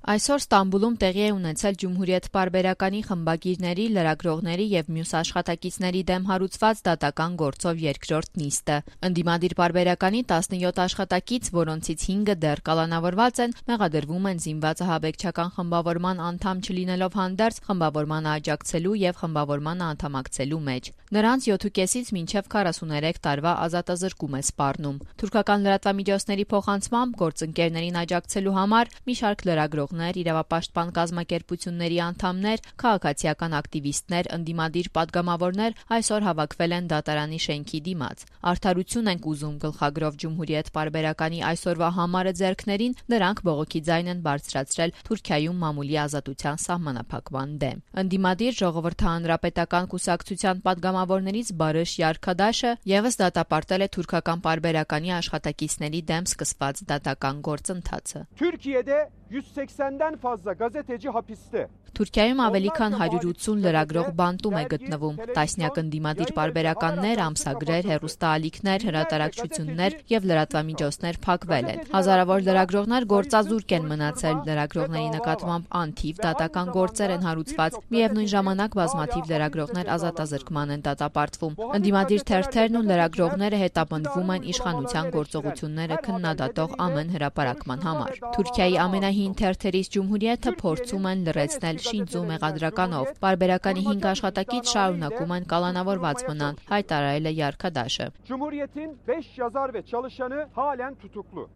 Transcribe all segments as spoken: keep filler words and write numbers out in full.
Այսօր Ստամբուլում տեղի է ունեցել Ջումհուրիետ պարբերականի խմբագիրների, լրագրողների և մյուս աշխատակիցների դեմ հարուցված դատական գործով երկրորդ նիստը։ Ընդդիմադիր պարբերականի տասնյոթ աշխատակից, որոնցից հինգը դեռ կալանավորված են, մեղադրվում են զինված ահաբեկչական խմբավորման անդամ չլինելով հանդերձ խմբավորմանը աջակցելու և խմբավորմանը անդամակցելու մեջ։ Նրանց յոթուկեսից մինչև քառասուներեք տարվա ազատազրկում է սպառնում։ Թուրքական լրատվամիջոցների փոխանցմամբ գործընկերներին աջակցելու համար մի շարք լրագրողներ, իրավապաշտպան կազմակերպությունների անդամներ, քաղաքացիական ակտիվիստներ, ընդդիմադիր պատգամավորներ այսօր հավաքվել են դատարանի շենքի դիմաց։ Արդարություն ենք ուզում գլխագրով Ջումհուրիետ պարբերականի այսօրվա համարը ձեռքներին, նրանք բողոքի ձայն են բարձրացրել Թուրքիայում մամուլի ազատության սահմանափակման դեմ։ Ընդդիմադիր ժողովրդահանրապետական կուսակցության պատգամավորներից Բարış Yarkadaşը ևս դատապարտել է թուրքական պարբերականի աշխատակիցների դեմ սկսված դատական գործընթացը։ Türkiye'de yüz seksenden fazla gazeteci hapiste. Թուրքիայում ավելի քան հարյուր ութսուն լրագրող բանտում է գտնվում։ Տասնյակ ընդդիմադիր պարբերականներ, ամսագրեր, հեռուստաալիքներ, հրատարակչություններ եւ լրատվամիջոցներ փակվել են։ Հազարավոր լրագրողներ գործազուրկ են մնացել, լրագրողների նկատմամբ անթիվ դատական գործեր են հարուցված։ Միևնույն ժամանակ բազմաթիվ լրագրողներ ազատազրկման են դատապարտվում։ Ընդդիմադիր թերթերն ու լրագրողները հետապնդվում են իշխանության գործողությունները քննադատող ամեն հրապարակման համար։ Թուրքիայի ամենահին թերթերից Ջումհուրիեթը փորձում են լրացնել շինծու մեղադրականով։ Պարբերականի հինգ աշխատակից շարունակում են կալանավորված մնալ, հայտարարել է Yarkadaşը։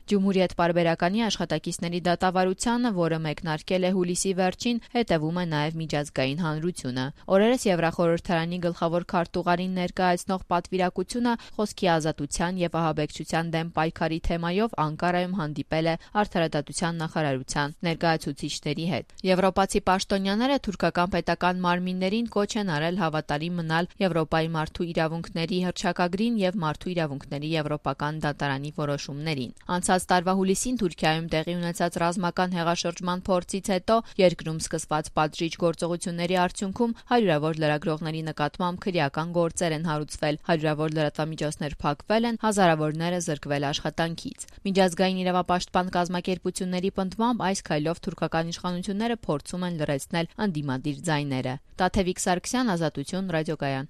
Ջումհուրիետ պարբերականի աշխատակիցների դատավարությանը, որը մեկնարկել է հուլիսի վերջին, հետևում է նաև միջազգային հանրությունը։ Օրերս Եվրախորհրդարանի գլխավոր քարտուղարին ներկայացնող պատվիրակությունը խոսքի ազատության եւ ահաբեկչության դեմ պայքարի թեմայով Անկարայում հանդիպել է Արդարադատության նախարարության ներկայացուցիչների հետ։ Եվրոպացի պաշտոնյաները թուրքական պետական մարմիններին կոչ են արել հավատարիմ մնալ Եվրոպայի մարդու իրավունքների հռչակագրին եւ մարդու իրավունքների եվրոպական դատարանի որոշումներին։ Անցած տարվա հուլիսին Թուրքիայում տեղի ունեցած ռազմական հեղաշրջման փորձից հետո երկրում սկսված պատժիչ գործողությունների արդյունքում հարյուրավոր լրագրողների նկատմամբ քրեական գործեր են հարուցվել, հարյուրավոր լրատվամիջոցներ փակվել են, հազարավորները զրկվել աշխատանքից։ Միջազգային իրավապաշտպան կազմակերպությունների պնդմամբ այս քայլով թուրքական իշխանությունները փորձում են լրացնել ընդդիմադիր ձայները։ Տաթևիկ Սարգսյան, Ազատություն, ռադիոկայան։